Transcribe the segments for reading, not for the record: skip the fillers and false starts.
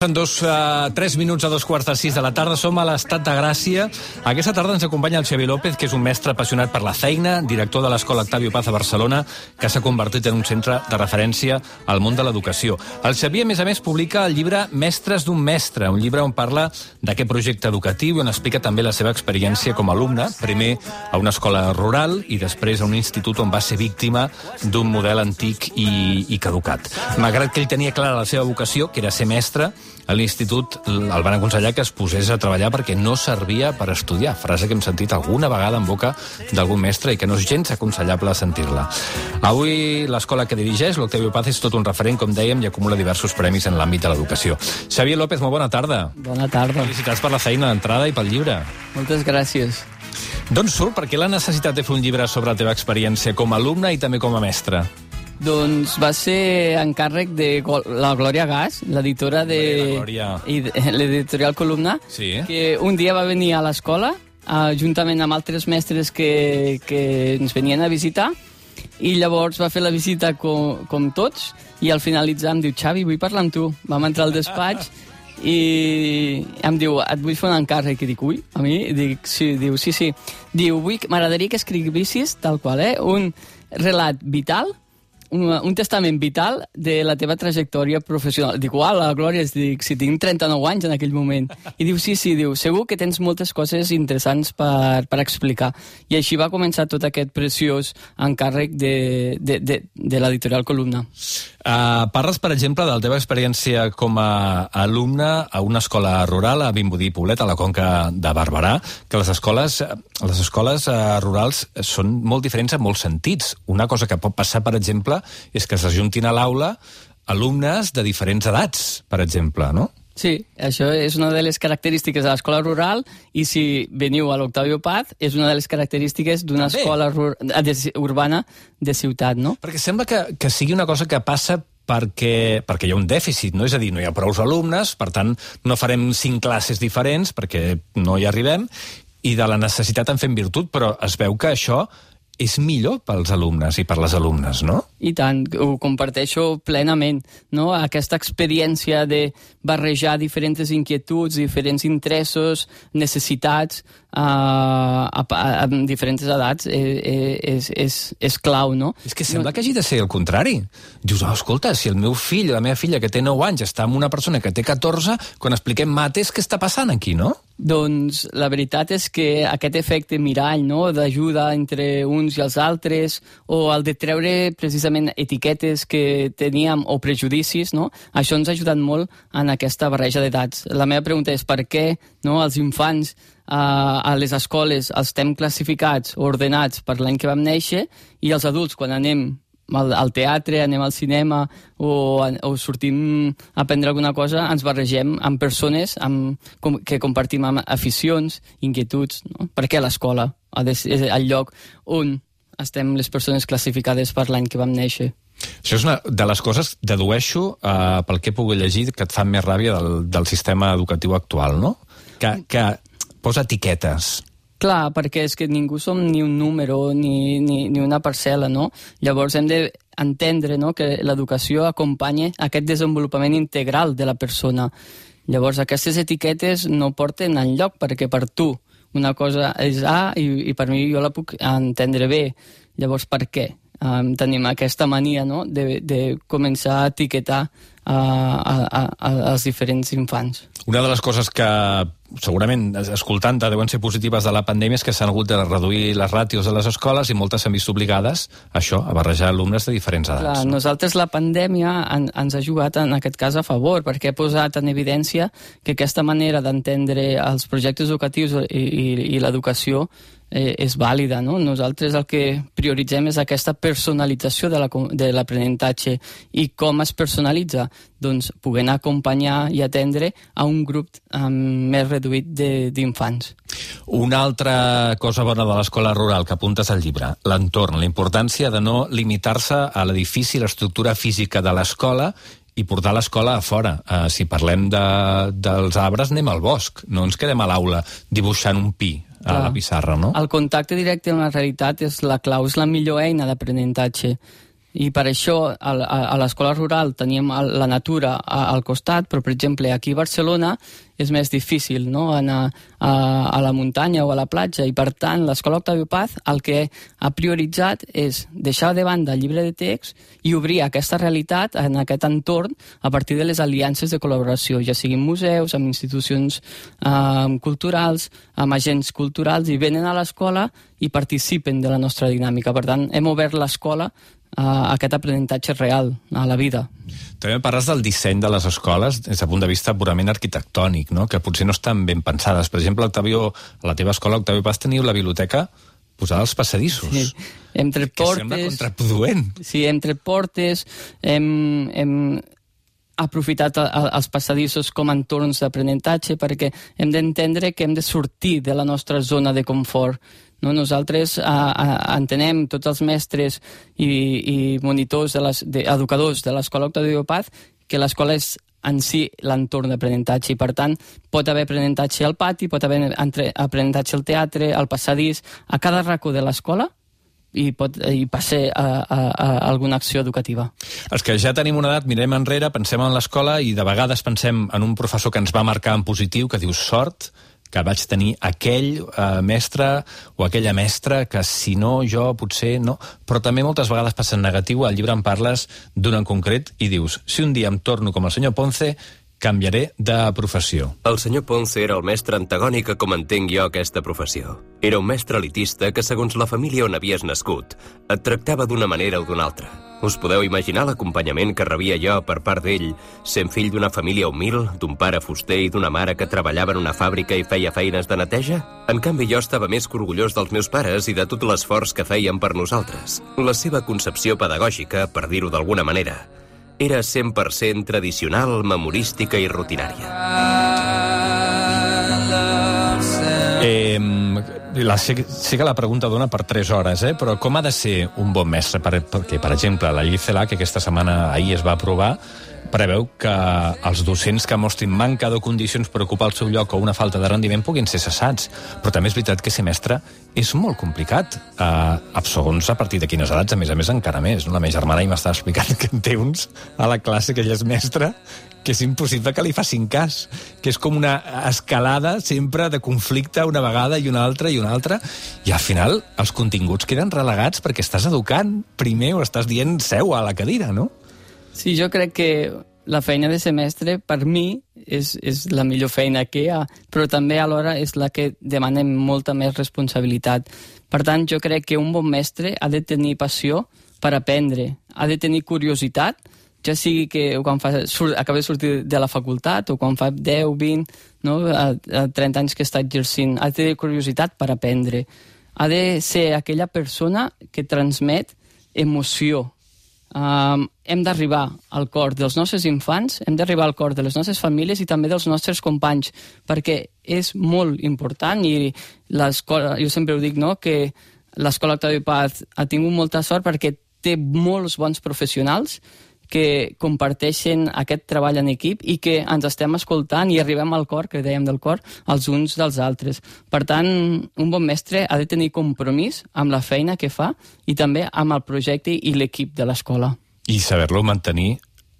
En 3 minuts a 2:15 de la tarda som a l'Estat de Gràcia. Aquesta tarda ens acompanya el Xavier López, que és un mestre apassionat per la feina, director de l'Escola Octavio Paz a Barcelona, que s'ha convertit en un centre de referència al món de l'educació. El Xavier, a més, publica el llibre Mestres d'un mestre, un llibre on parla d'aquest projecte educatiu i on explica també la seva experiència com a alumne, primer a una escola rural i després a un institut on va ser víctima d'un model antic i caducat. Malgrat que ell tenia clara la seva vocació, que era ser mestre, a l'institut el van aconsellar que es posés a treballar perquè no servia per estudiar, frase que hem sentit alguna vegada en boca d'algun mestre i que no és gens aconsellable sentir-la. Avui l'escola que dirigeix, l'Octavio Paz, és tot un referent, com dèiem, i acumula diversos premis en l'àmbit de l'educació. Xavier López, molt bona tarda. Bona tarda. Felicitats per la feina d'entrada i pel llibre. Moltes gràcies. D'on surt? Per què la necessitat de fer un llibre sobre la teva experiència com a alumne i també com a mestre? Doncs va ser encàrrec de la Glòria Gas, l'editora de l'editorial Columna, sí, que un dia va venir a l'escola, juntament amb altres mestres que ens venien a visitar, i llavors va fer la visita com tots, i al finalitzar em diu: Xavi, vull parlar amb tu. Vam entrar al despatx i em diu: et vull fer un encàrrec. I dic: ui, a mi? Dic: sí. Diu: sí. Diu: m'agradaria que escrivissis tal qual, un relat vital, un testament vital de la teva trajectòria professional. Dic: uau, la Glòria, dic, si tinc 39 anys en aquell moment. I diu: sí, diu, segur que tens moltes coses interessants per explicar. I així va començar tot aquest preciós encàrrec de l'editorial Columna. Parles, per exemple, de la teva experiència com a alumne a una escola rural a Vimbodí i Poblet, a la Conca de Barberà, que les escoles rurals són molt diferents en molts sentits. Una cosa que pot passar, per exemple, és que s'ajuntin a l'aula alumnes de diferents edats, per exemple, no? Sí, això és una de les característiques de l'escola rural, i si veniu a l'Octavio Paz és una de les característiques d'una escola urbana de ciutat, no? Perquè sembla que sigui una cosa que passa perquè hi ha un dèficit, no? És a dir, no hi ha prou alumnes, per tant, no farem 5 classes diferents perquè no hi arribem, i de la necessitat en fem virtut, però es veu que això és millor pels alumnes i per les alumnes, no? I tant, ho comparteixo plenament, no? Aquesta experiència de barrejar diferents inquietuds, diferents interessos, necessitats a diferents edats és clau, no? És que sembla que hagi de ser el contrari. Dius: escolta, si el meu fill o la meva filla que té 9 anys està amb una persona que té 14, quan expliquem mates, què està passant aquí, no? Doncs la veritat és que aquest efecte mirall, no?, d'ajuda entre uns i els altres, o el de treure precisament etiquetes que teníem o prejudicis, no?, això ens ha ajudat molt en aquesta barreja d'edats. La meva pregunta és: per què, no, els infants a les escoles els estem classificats o ordenats per l'any que vam néixer, i els adults, quan anem al teatre, anem al cinema o sortim a aprendre alguna cosa, ens barregem amb persones que compartim aficions, inquietuds, no? Per què l'escola és el lloc on estem les persones classificades per l'any que vam néixer? Això és una de les coses, dedueixo, pel que he pogut llegir, que et fan més ràbia del sistema educatiu actual, no? Que posa etiquetes. Clar, perquè és que ningú som ni un número ni una parcel·la, no? Llavors hem d'entendre, no, que l'educació acompanya aquest desenvolupament integral de la persona. Llavors aquestes etiquetes no porten enlloc, perquè per tu una cosa és A i per mi jo la puc entendre bé. Llavors, per què tenim aquesta mania, no, de començar a etiquetar als diferents infants? Una de les coses que segurament, escoltant-te, deuen ser positives de la pandèmia és que s'han hagut de reduir les ràtios de les escoles i moltes s'han vist obligades a barrejar alumnes de diferents edats. Clar, nosaltres la pandèmia ens ha jugat en aquest cas a favor, perquè ha posat en evidència que aquesta manera d'entendre els projectes educatius i l'educació és vàlida, no? Nosaltres el que prioritzem és aquesta personalització de l'aprenentatge. I com es personalitza? Doncs podent acompanyar i atendre a un grup més reduït d'infants. Una altra cosa bona de l'escola rural que apuntes al llibre, l'entorn, la importància de no limitar-se a l'edifici i l'estructura física de l'escola i portar l'escola a fora. Si parlem dels arbres, anem al bosc, no ens quedem a l'aula dibuixant un pi a la pissarra, no? El contacte directe amb la realitat és la clau, és la millor eina d'aprenentatge. I per això a l'escola rural teníem la natura al costat, però, per exemple, aquí a Barcelona és més difícil, no?, anar a la muntanya o a la platja, i per tant l'escola Octavio Paz el que ha prioritzat és deixar de banda el llibre de text i obrir aquesta realitat en aquest entorn a partir de les aliances de col·laboració, ja siguin museus, amb institucions culturals, amb agents culturals, i venen a l'escola i participen de la nostra dinàmica. Per tant, hem obert l'escola a aquest aprenentatge real, a la vida. També parles del disseny de les escoles des del punt de vista purament arquitectònic, no?, que potser no estan ben pensades. Per exemple, Octavio, a la teva escola, Octavio Paz, teniu la biblioteca posada als passadissos. Sí. Hem tret portes... Que sembla contraproduent. Sí, hem tret portes, hem aprofitat els passadissos com a entorns d'aprenentatge, perquè hem d'entendre que hem de sortir de la nostra zona de confort. No? Nosaltres entenem, tots els mestres i monitors, educadors de l'escola Octavio Paz, que l'escola és en si l'entorn d'aprenentatge, i per tant pot haver aprenentatge al pati, pot haver aprenentatge al teatre, al passadís, a cada racó de l'escola, i passer a alguna acció educativa. Els que ja tenim una edat, mirem enrere, pensem en l'escola i de vegades pensem en un professor que ens va marcar en positiu, que diu sort que vaig tenir aquell mestre o aquella mestra que si no jo potser no, però també moltes vegades passa en negatiu. Al llibre en parles d'un en concret i dius, si un dia em torno com el senyor Ponce, canviaré de professió. El senyor Ponce era el mestre antagònic a com entenc jo aquesta professió. Era un mestre elitista que, segons la família on havies nascut, et tractava d'una manera o d'una altra. Us podeu imaginar l'acompanyament que rebia jo per part d'ell, sent fill d'una família humil, d'un pare fuster i d'una mare que treballava en una fàbrica i feia feines de neteja? En canvi, jo estava més que orgullós dels meus pares i de tot l'esforç que feien per nosaltres. La seva concepció pedagògica, per dir-ho d'alguna manera, era 100% tradicional, memorística i rutinària. Sé que la pregunta dona per 3 hores, però com ha de ser un bon mestre? Perquè, per exemple, la llei CELA, que aquesta setmana ahir es va aprovar, preveu que els docents que mostrin manca de condicions per ocupar el seu lloc o una falta de rendiment puguin ser cessats. Però també és veritat que ser mestre és molt complicat. Segons a partir de quines edats, a més encara més. La meva germana ahir m'estava explicant que en té uns a la classe que ella és mestra, que és impossible que li facin cas, que és com una escalada sempre de conflicte una vegada i una altra, i al final els continguts queden relegats perquè estàs educant primer o estàs dient seu a la cadira, no? Sí, jo crec que la feina de ser mestre, per mi, és la millor feina que hi ha, però també alhora és la que demanem molta més responsabilitat. Per tant, jo crec que un bon mestre ha de tenir passió per aprendre, ha de tenir curiositat, ja sigui que quan acaba de sortir de la facultat o quan fa 10, 20, no, a 30 anys que està exercint, ha de tenir curiositat per aprendre. Ha de ser aquella persona que transmet emoció. Hem d'arribar al cor dels nostres infants, hem d'arribar al cor de les nostres famílies i també dels nostres companys, perquè és molt important, i l'escola, jo sempre ho dic, no?, que l'escola Octavio Paz ha tingut molta sort perquè té molts bons professionals que comparteixen aquest treball en equip i que ens estem escoltant i arribem al cor, que dèiem del cor, els uns dels altres. Per tant, un bon mestre ha de tenir compromís amb la feina que fa i també amb el projecte i l'equip de l'escola. I saber-lo mantenir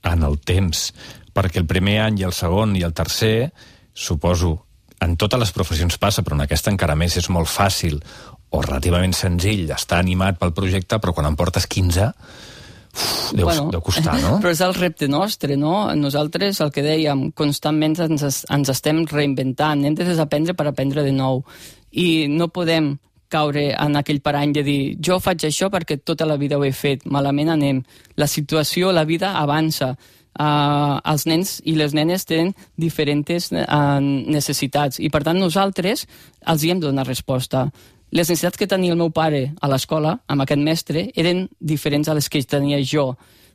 en el temps, perquè el primer any i el segon i el tercer, suposo, en totes les professions passa, però en aquesta encara més és molt fàcil o relativament senzill estar animat pel projecte, però quan en portes 15... deu costar, no? Però és el repte nostre, no? Nosaltres, el que dèiem, constantment ens estem reinventant, hem de desaprendre per aprendre de nou, i no podem caure en aquell parany de dir jo faig això perquè tota la vida ho he fet, malament anem. La situació, la vida avança. Els nens i les nenes tenen diferents necessitats i per tant nosaltres els hi hem de donar resposta. Les necessitats que tenia el meu pare a l'escola, amb aquest mestre, eren diferents a les que tenia jo.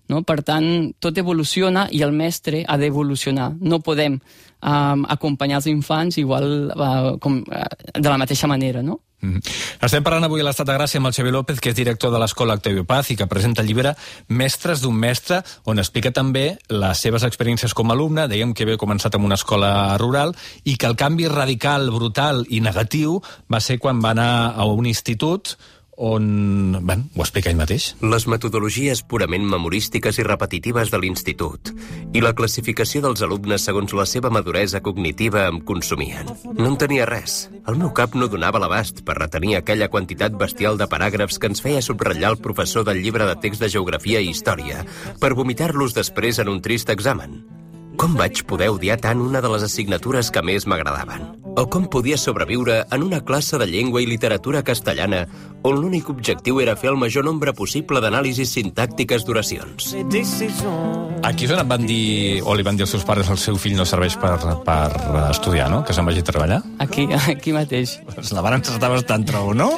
No? Per tant, tot evoluciona i el mestre ha d'evolucionar. No podem acompanyar els infants igual de la mateixa manera, no? Estem parlant avui a l'Estat de Gràcia amb el Xavier López, que és director de l'Escola Octavio Paz i que presenta el llibre Mestres d'un mestre, on explica també les seves experiències com a alumne. Dèiem que havia començat en una escola rural i que el canvi radical, brutal i negatiu va ser quan va anar a un institut on... Bé, ho explica ell mateix. Les metodologies purament memorístiques i repetitives de l'institut i la classificació dels alumnes segons la seva maduresa cognitiva em consumien. No en tenia res. El meu cap no donava l'abast per retenir aquella quantitat bestial de paràgrafs que ens feia subratllar el professor del llibre de text de geografia i història per vomitar-los després en un trist examen. Com vaig poder odiar tant una de les assignatures que més m'agradaven? O com podia sobreviure en una classe de llengua i literatura castellana on l'únic objectiu era fer el major nombre possible d'anàlisis sintàctiques d'oracions? Aquí és on van dir, o li van dir als seus pares, el seu fill no serveix per estudiar, no? Que se'n vagi a treballar? Aquí mateix. La van encertar bastant, trobo, no?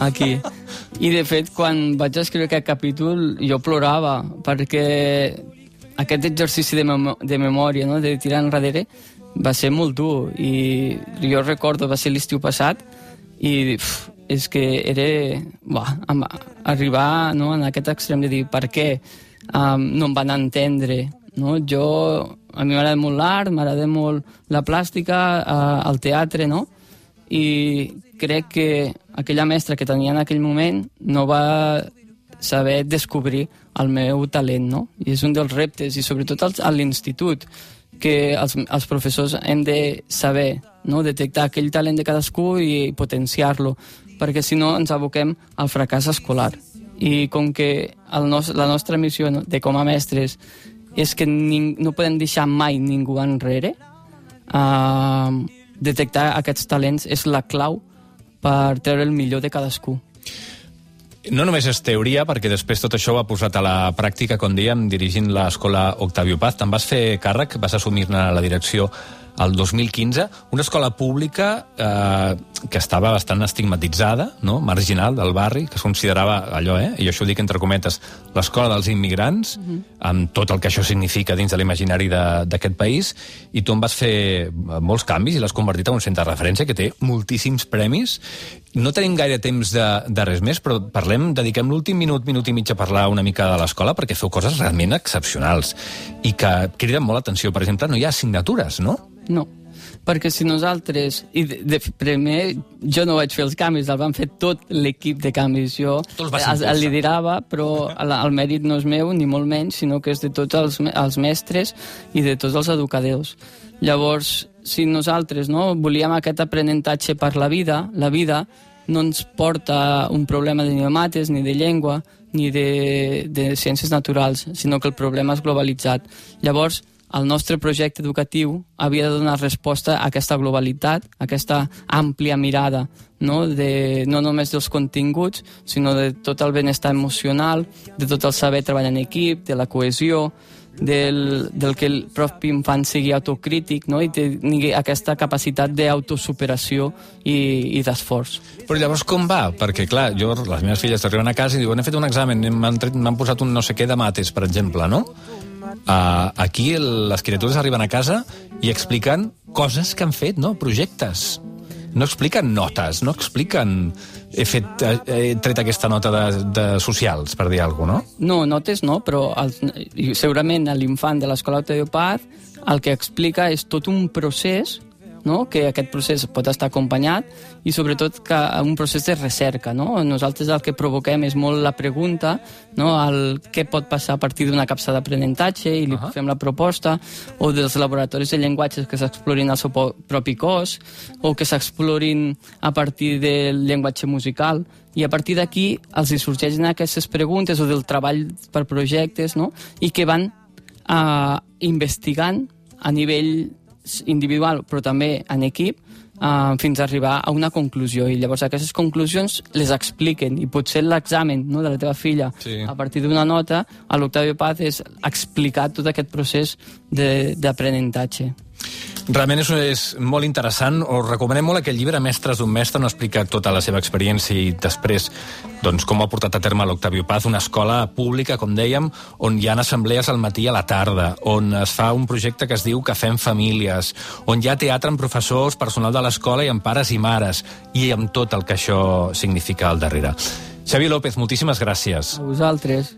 Aquí. I, de fet, quan vaig escriure aquest capítol, jo plorava, perquè aquest exercici de memòria, no?, de tirar enrere, va ser molt dur. I jo recordo, va ser l'estiu passat, i és que era... arribar, no?, en aquest extrem de dir per què no em van entendre. No? A mi m'agrada molt l'art, m'agrada molt la plàstica, el teatre, no? I crec que aquella mestra que tenia en aquell moment no va saber descobrir el meu talent, no? I és un dels reptes, i sobretot a l'institut, que els professors hem de saber, no?, detectar aquell talent de cadascú i potenciar-lo, perquè si no ens aboquem al fracàs escolar. I com que la nostra missió, no?, de com a mestres és que no podem deixar mai ningú enrere, detectar aquests talents és la clau per treure el millor de cadascú. No només és teoria, perquè després tot això ho ha posat a la pràctica, com dèiem, dirigint l'escola Octavio Paz. Te'n vas fer càrrec, vas assumir-ne la direcció el 2015, una escola pública que estava bastant estigmatitzada, no?, marginal del barri, que es considerava allò, i això ho dic entre cometes, l'escola dels immigrants, amb tot el que això significa dins de l'imaginari d'aquest país, i tu en vas fer molts canvis i l'has convertit en un centre de referència que té moltíssims premis. No tenim gaire temps de res més, però dediquem l'últim minut i mig a parlar una mica de l'escola, perquè feu coses realment excepcionals i que criden molt l'atenció. Per exemple, no hi ha assignatures, no? No, perquè si nosaltres... primer, jo no vaig fer els canvis, el van fer tot l'equip de canvis. Jo el liderava, però el mèrit no és meu, ni molt menys, sinó que és de tots els mestres i de tots els educadors. Llavors, si nosaltres volíem aquest aprenentatge per la vida no ens porta un problema ni de mates, ni de llengua, ni de ciències naturals, sinó que el problema és globalitzat. Llavors, el nostre projecte educatiu havia de donar resposta a aquesta globalitat, a aquesta àmplia mirada, no només dels continguts, sinó de tot el benestar emocional, de tot el saber treballar en equip, de la cohesió, del que el propi infant sigui autocrític, no?, i tingui aquesta capacitat d'autosuperació i d'esforç. Però llavors com va? Perquè, clar, les meves filles arriben a casa i diuen he fet un examen, m'han posat un no sé què de mates, per exemple, no? Aquí les criatures arriben a casa i expliquen coses que han fet, no? Projectes. No expliquen notes, no expliquen he tret aquesta nota de socials, per dir alguna cosa, no? No, notes no, però segurament l'infant de l'escola Octavio Paz el que explica és tot un procés, no?, que aquest procés pot estar acompanyat i sobretot que un procés de recerca, no? Nosaltres el que provoquem és molt la pregunta, no?, el què pot passar a partir d'una capsa d'aprenentatge i li fem la proposta, o dels laboratoris de llenguatges que s'explorin el seu propi cos o que s'explorin a partir del llenguatge musical, i a partir d'aquí els hi sorgeixen aquestes preguntes o del treball per projectes, no?, i que van investigant a nivell individual però també en equip fins a arribar a una conclusió, i llavors aquestes conclusions les expliquen, i potser l'examen, no?, de la teva filla a partir d'una nota a l'Octavio Paz és explicar tot aquest procés d'aprenentatge. Realment és molt interessant. Us recomanem molt aquest llibre, Mestres d'un mestre, on explica tota la seva experiència i després com ho ha portat a terme l'Octavio Paz, una escola pública, com dèiem, on hi ha assemblees al matí i a la tarda, on es fa un projecte que es diu Cafè en Famílies, on hi ha teatre amb professors, personal de l'escola i amb pares i mares, i amb tot el que això significa al darrere. Xavi López, moltíssimes gràcies. A vosaltres.